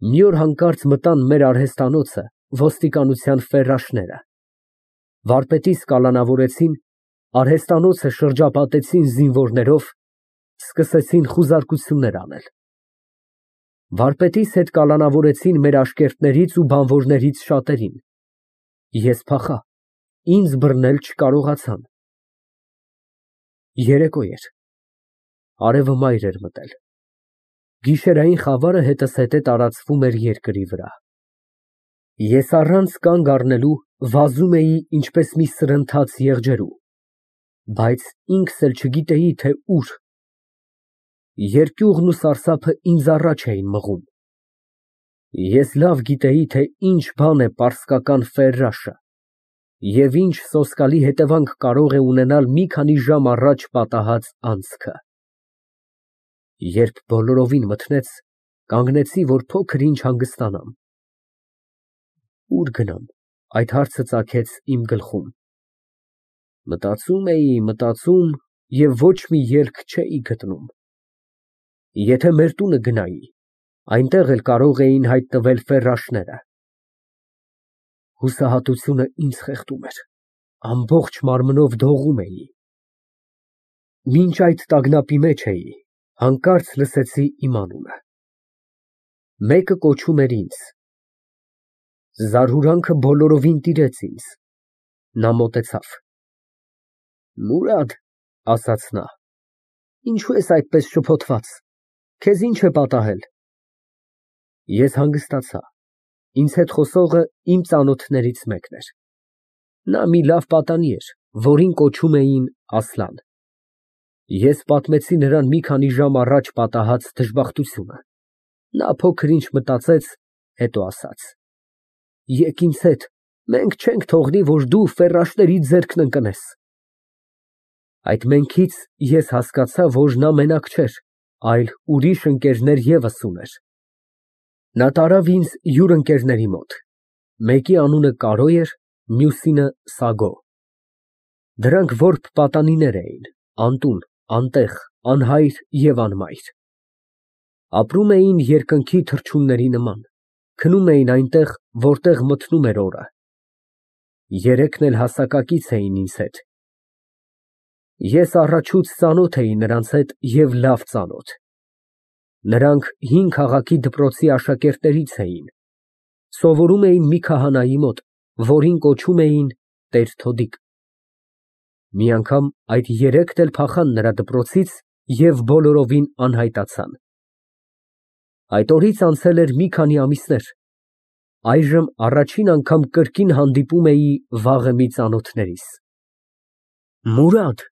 Մի օր հանկարծ մտան մեր արհեստանոցը ոստիկանության ֆերրաշները, վարպետիս կալանավորեցին, արհեստանոցը շրջապատեցին զինվորներով, սկսեցին խուզարկություններ անել։ Վարպետիս հետ կալանավորեցին մեր աշկերտներից ու բանվորներից շատերին, ես փախա, ինձ բռնել չկարողացան։ Երեկո էր, արևը մայր էր մտել, գիշերային խավարը հետզհետե տարածվում էր երկրի վրա։ Ես առանց կանգ առնելու վազում էի ինչպես մի սրընթաց եղջերու, բայց ինքս էլ չգիտեի, թե ուր։ Երկյուղն ու սարսափը ինձ առաջ էին մղում։ Ես լավ գիտեի, թե ինչ բան է պարսկական ֆերրաշը և ինչ սոսկալի հետևանք կարող է ունենալ մի քանի ժամ առաջ պատահած անցքը։ Երբ բոլորովին մթնեց, կանգնեցի, որ փոքր ինչ հանգստանամ։ Ուր գնամ, այդ հարցը ծագեց իմ գլխում։ Մտածում և ոչ մի ելք չէի գտնում։ Եթե մեր տունը գնայի, այնտեղ էլ կարող էին հայտնվել ֆերրաշները։ Հուսահատությունը ինձ խեղդում էր, ամբողջ մարմնով դողում էի։ Մինչ այդ տագնապի մեջ էի, հանկարծ լսեցի իմ անունը։ Մեկը կոչում էր ինձ։ Զարհուրանքը բոլորովին տիրեց ինձ։ Նա մոտեցավ։ Մուրադ, ասաց նա, ինչու ես այդպես շփոթված, քեզ ինչ է պատահել։ Ես հանգստացա, ինձ հետ խոսողը իմ ծանոթներից մեկն էր։ Նա մի լավ պատանի էր, որին կոչում էին Ասլան։ Ես պատմեցի նրան մի քանի ժամ առաջ պատահած դժբախտությունը։ Նա փոքր ինչ մտածեց, հետո ասաց. Եկ ինձ հետ, մենք չենք թողնի, որ դու ֆերրաշների ձեռքն ընկնես։ Այդ մենքից ես հասկացա, որ նա մենակ չէր, այլ ուրիշ ընկերներ ևս ուներ։ Նա տարավ ինձ յուր ընկերների մոտ, մեկի անունը Կարո էր, մյուսինը Սագո։ Դրանք որբ պատանիներ էին, անտուն, անտեղ, անհայր և անմայր։ Ապրում էին երկնքի թռչունների նման, քնում էին այնտեղ, որտեղ մթնում էր օրը։ Երեքն էլ հասակակից էին ինձ հետ։ Ես առաջուց ծանոթ էի նրանց հետ և լավ ծանոթ։ Նրանք հին քաղաքի դպրոցի աշակերտներից էին, սովորում էին մի քահանայի մոտ, որին կոչում էին Տեր֊Թոդիկ։ Մի անգամ այդ երեքն էլ փախան նրա դպրոցից և բոլորովին անհայտացան։ Այդ օրից անցել էր մի քանի ամիսներ, այժմ առաջին անգամ կրկին հանդիպում էի վաղեմի ծանոթներիս։ Մուրադ,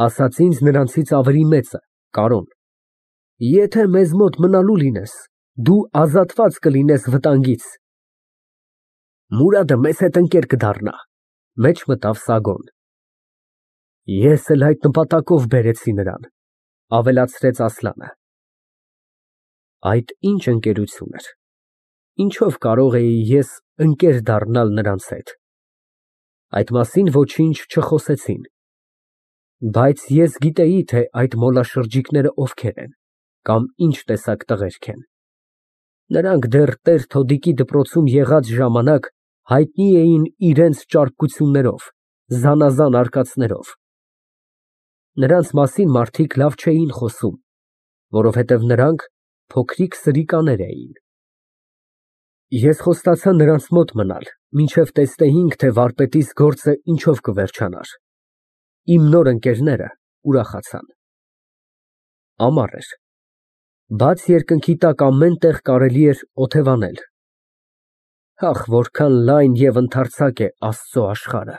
ասաց ինձ նրանցից ավելի մեծը, Կարոն, եթե մեզ մոտ մնալու լինես, դու ազատված կլինես վտանգից։ Մուրադը մեզ հետ ընկեր կդառնա, մեջ մտավ Սագոն։ Ես էլ այդ նպատակով բերեցի նրան, ավելացրեց Ասլանը։ Այդ ինչ ընկերություն էր, ինչով կարող էի ես ընկեր դառնալ նրանց հետ։ Այդ մասին ոչինչ չխոսեցին, բայց ես գիտեի, թե այդ մոլաշրջիկները ովքեր են կամ ինչ տեսակ տղերք են։ Նրանք դեռ Տեր֊Թոդիկի դպրոցում եղած ժամանակ հայտնի էին իրենց ճարպկություններով, զանազան արկածներով։ Նրանց մասին մարդիկ լավ չէին խոսում, որովհետև նրանք փոքրիկ սրիկաներ էին։ Ես խոստացա նրանց մոտ մնալ, մինչև տեսնեինք, թե վարպետիս գործը ինչով կվերջանար։ Իմ նոր ընկերները ուրախացան։ Ամառ էր։ Բաց երկնքի տակ ամեն տեղ կարելի էր օթևանել։ Ախ, որքան լայն և ընդարձակ է Աստծո աշխարհը,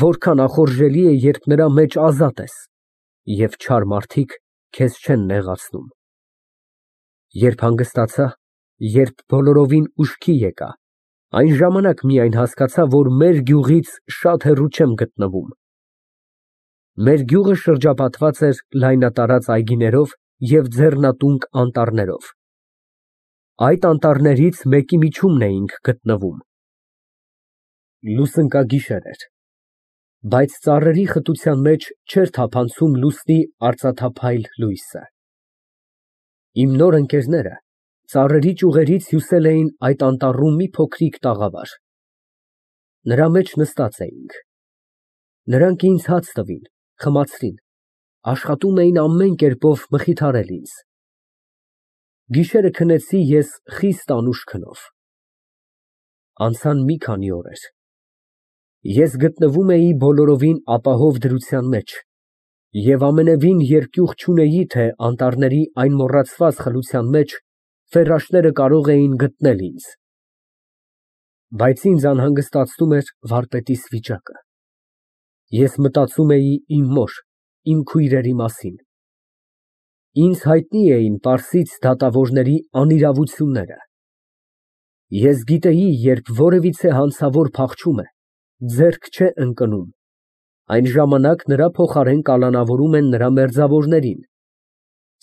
որքան ախորժելի է, երբ նրա մեջ ազատ ես, և չար մարդիկ քեզ չեն նեղացնում։ Երբ հանգստացա, երբ բոլորովին ուշքի եկա, այն ժամանակ միայն հասկացա, որ մեր գյուղից շատ հեռու չեմ գտնվում։ Մեր գյուղը շրջապատված էր լայնատարած այգիներով և ձեռնատունկ անտառներով։ Այդ անտառներից մեկի միջումն էինք գտնվում։ Լուսնկագիշեր էր, բայց ծառերի խտության մեջ չէր թափանցում լուսնի արծաթափայլ լույսը։ Իմ նոր ընկերները Ծառերի ճյուղերից հյուսել էին այդ անտառում մի փոքրիկ տաղավար։ Նրա մեջ նստած էինք։ Նրանք ինձ հաց տվին, խմացրին, աշխատում էին ամեն կերպով մխիթարել ինձ։ Գիշերը քնեցի ես խիստ անուշ քնով։ Անցան մի քանի օրեր։ Ես գտնվում էի բոլորովին ապահով դրության մեջ և ամենևին երկյուղ չունեի, թե անտառների այն մոռացված խլության մեջ ֆեռաշները կարող էին գտնել ինձ։ Բայց ինձ անհանգստացնում էր վարպետիս վիճակը։ Ես մտածում էի իմ մոր, իմ քույրերի մասին։ Ինձ հայտնի էին պարսից դատավորների անիրավությունները։ Ես գիտեի, երբ որևիցե հանցավոր փախչում է, ձեռք չէ ընկնում, այն ժամանակ նրա փոխարեն կալանավորում են նրա մերձավորներին,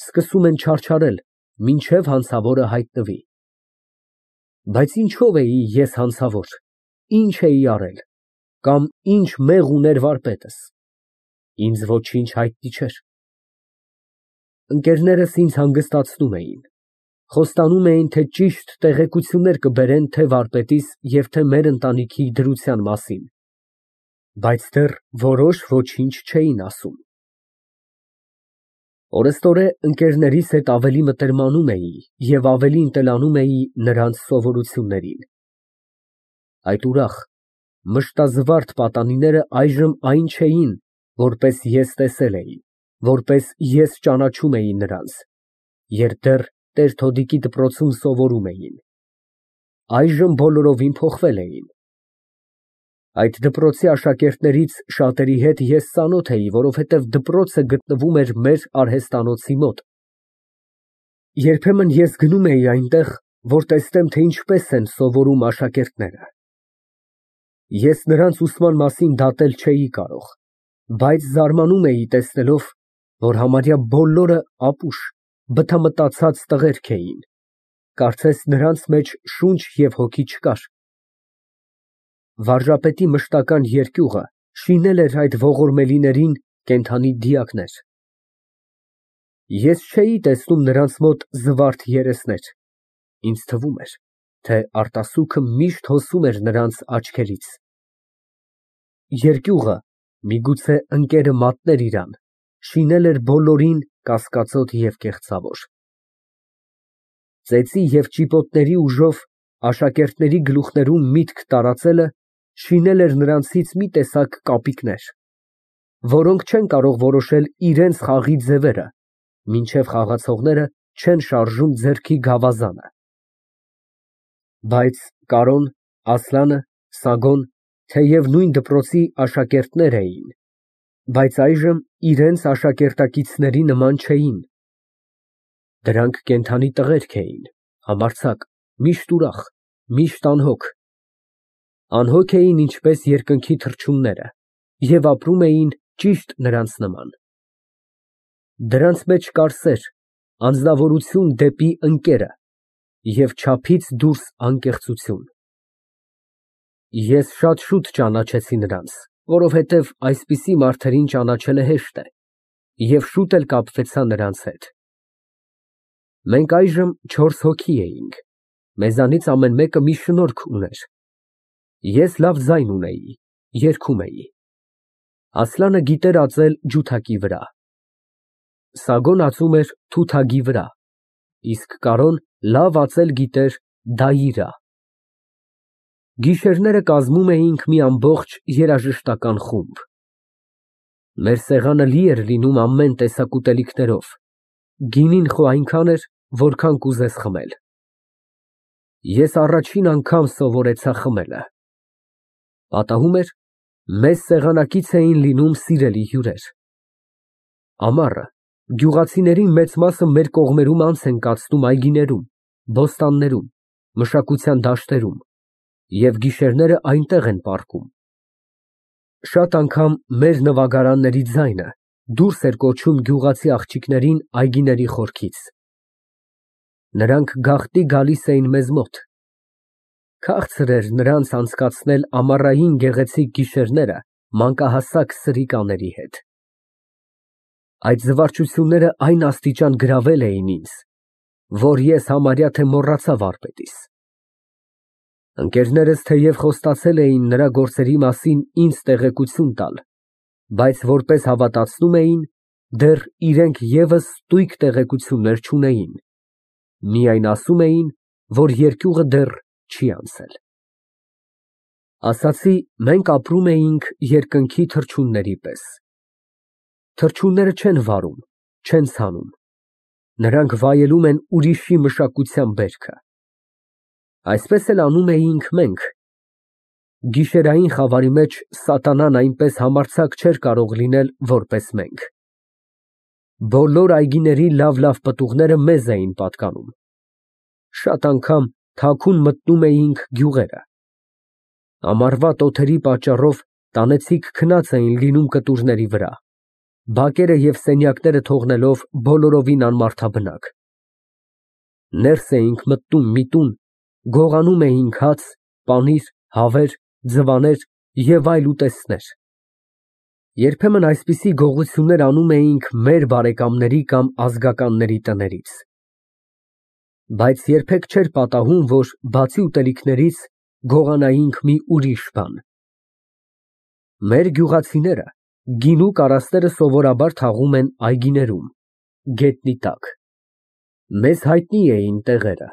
սկսում են չարչարել, մինչև հանցավորը հայտնվի։ Բայց ինչո՞վ էի ես հանցավոր, ինչ էի արել, կամ ինչ մեղ ուներ վարպետս։ Ինձ ոչինչ հայտնի չէր։ Ընկերներս ինձ հանգստացնում էին, խոստանում էին, թե ճիշտ տեղեկություններ կբերեն թե վարպետիս և թե մեր ընտանիքի դրության մասին, բայց դեռ որոշ ոչինչ չէին ասում։ Օրեստորե ընկերներիս հետ ավելի մտերմանում էի և ավելի ընտելանում էի նրանց սովորություններին։ Այդ ուրախ, մշտազվարթ պատանիները այժմ այն չէին, որպես ես տեսել էի, որպես ես ճանաչում էի նրանց, երբ դեռ Տեր-Թոդիկի դպրոցում սովորում էին։ Այժմ բոլորովին փոխվել էին։ Այդ դպրոցի աշակերտներից շատերի հետ ես ծանոթ էի, որովհետև դպրոցը գտնվում էր մեր արհեստանոցի մոտ։ Երբեմն ես գնում էի այնտեղ, որ տեսնեմ, թե ինչպես են սովորում աշակերտները։ Ես նրանց ուսման մասին դատել չէի կարող, բայց զարմանում էի տեսնելով, որ համարյա բոլորը ապուշ, բթամտացած տղերք էին, կարծես նրանց մեջ շունչ և հոգի չկար։ Վարժապետի մշտական երկյուղը շինել էր այդ ողորմելիներին կենդանի դիակներ։ Ես չէի տեսնում նրանց մոտ զվարթ երեսներ, ինձ թվում էր, թե արտասուքը միշտ հոսում էր նրանց աչքերից։ Երկյուղը, միգուցե ընկերը մատներ իրան, շինել էր բոլորին կասկածոտ և կեղծավոր։ Ծեծի և ճիպոտների ուժով աշակերտների գլուխներում միտք տարածելը շինել էր նրանցից մի տեսակ կապիկներ, որոնք չեն կարող որոշել իրենց խաղի ձևերը, մինչև խաղացողները չեն շարժում ձեռքի գավազանը։ Բայց Կարոն, Ասլանը, Սագոն, թեև նույն դպրոցի աշակերտներ էին, բայց այժմ իրենց աշակերտակիցների նման չէին։ Դրանք կենդանի տղերք էին, համարձակ, միշտ ուրախ, միշտ անհոգ։ Անհոգ էին ինչպես երկնքի թռչունները և ապրում էին ճիշտ նրանց նման։ Դրանց մեջ կար սեր, անձնավորություն դեպի ընկերը և չափից դուրս անկեղծություն։ Ես շատ շուտ ճանաչեցի նրանց, որովհետև այսպիսի մարդերին ճանաչելը հեշտ է, և շուտ էլ կապվեցա նրանց հետ։ Մենք այժմ 4 հոգի էինք, մեզանից ամեն մեկը մի շնորք ուներ։ Ես լավ ձայն ունեի, երգում էի։ Ասլանը գիտեր ածել ջութակի վրա, Սագոն ածում էր թութակի վրա, իսկ Կարոն լավ ածել գիտեր դայիրա։ Գիշերները կազմում էինք մի ամբողջ երաժշտական խումբ։ Մեր սեղանը լի էր լինում ամեն տեսակ ուտելիքներով, գինին խո այնքան էր, որքան կուզես խմել։ Ես առաջին անգամ սովորեցա խմելը։ Պատահում էր, մեզ սեղանակից էին լինում սիրելի հյուրեր։ Ամառը գյուղացիների մեծ մասը մեր կողմերում անց են կացնում այգիներում, բոստաններում, մշակության դաշտերում և գիշերները այնտեղ են պառկում։ Շատ անգամ մեր նվագարանների ձայնը դուրս էր կոչում գյուղացի աղջիկներին այգիների խորքից։ Նրանք գաղտնի գալիս էին մեզ մոտ։ Քաղցր էր նրանց անցկացնել ամառային գեղեցիկ գիշերները մանկահասակ սրիկաների հետ։ Այդ զվարճությունները այն աստիճան գրավել էին ինձ, որ ես համարյա թե մոռացա վարպետիս։ Ընկերներս թեև խոստացել էին նրա գործերի մասին ինձ տեղեկություն տալ, բայց որպես հավատացնում էին, դեռ իրենք ևս ստույգ տեղեկություններ չունեին, միայն ասում էին, որ երկյուղը դեռ չի անցել։ Ասացի, մենք ապրում էինք երկնքի թռչունների պես։ Թռչունները չեն վարում, չեն ցանում, նրանք վայելում են ուրիշի մշակության բերքը։ Այսպես էլ անում էինք մենք։ Գիշերային խավարի մեջ սատանան այնպես համարձակ չէր կարող լինել, որպես մենք։ Բոլոր այգիների լավ պտուղները մեզ էին պատկանում։ Շատ անգամ թաքուն մտնում էինք գյուղերը։ Ամառվա տոթերի պատճառով տանեցիք քնած էին լինում կտուրների վրա, բակերը և սենյակները թողնելով բոլորովին անմարդաբնակ։ Ներս էինք մտնում մի տուն, գողանում էինք հաց, պանիր, հավեր, ձվաներ և այլ ուտեստներ։ Երբեմն այսպիսի գողություններ անում էինք մեր բարեկամների կամ ազգականների տներից։ Բայց երբեք չէր պատահում, որ բացի ուտելիքներից գողանայինք մի ուրիշ բան։ Մեր գյուղացիները գինու կարասները սովորաբար թաղում են այգիներում, գետնի տակ։ Մեզ հայտնի էին տեղերը,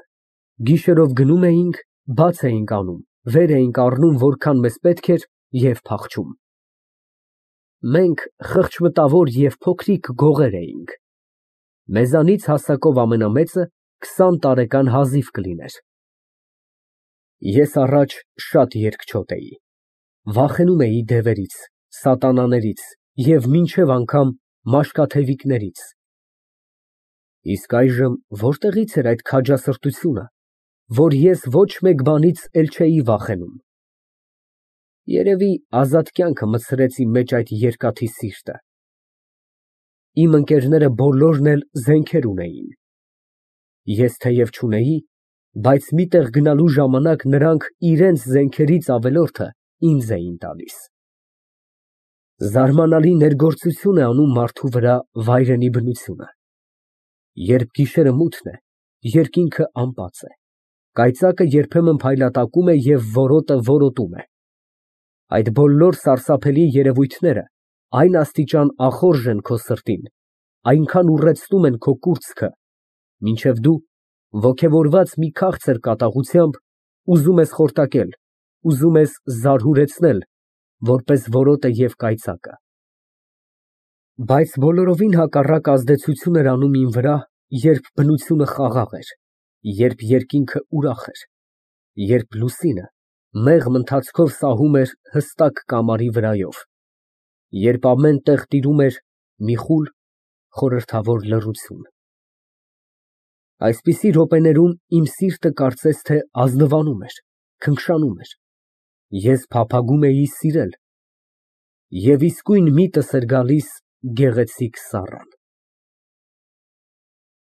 գիշերով գնում էինք, բաց էինք անում, վեր էինք առնում որքան մեզ պետք էր և փախչում։ Մենք խղճմտավոր և փոքրիկ գողեր էինք։ Մեզանից հասակով ամենամեծը 20 տարեկան Հազիվ կլիներ։ Ես առաջ շատ երկչոտ էի, վախենում էի դևերից, սատանաներից և մինչև անգամ մաշկաթևիկներից։ Իսկ այժմ որտեղից էր այդ քաջասրտությունը, որ ես ոչ մեկ բանից էլ չէի վախենում։ Երևի ազատ կյանքը մտցրեց իմ մեջ այդ երկաթի սիրտը։ Իմ ընկերները բոլորն էլ զենքեր ունեին։ Ես թեև չունեի, բայց մի տեղ գնալու ժամանակ նրանք իրենց զենքերից ավելորդը ինձ էին տալիս։ Զարմանալի ներգործություն է անում մարդու վրա վայրենի բնությունը։ Երբ գիշերը մութն է, երկինքը անբաց է, կայծակը երբեմն փայլատակում է և որոտը որոտում է։ Այդ բոլոր սարսափելի երևույթները այն աստիճան ախորժ են քո սրտին, այնքան ուռեցնում են քո կուրծքը, մինչև դու, ոգևորված մի քաղցր կատաղությամբ, ուզում ես խորտակել, ուզում ես զարհուրեցնել, որպես որոտը և կայծակը։ Բայց բոլորովին հակառակ ազդեցություն էր անում իմ վրա, երբ բնությունը խաղաղ էր, երբ երկինքը ուրախ էր, երբ լուսինը մեղմ ընթացքով սահում էր հստակ կամարի վրայով, երբ ամեն տեղ տիրում էր մի խուլ, խորհրդավոր լռություն։ Այսպիսի րոպեներում իմ սիրտը կարծես թե ազնվանում էր, քնքշանում էր, ես փափագում էի սիրել և իսկույն միտս էր գալիս գեղեցիկ Սառան։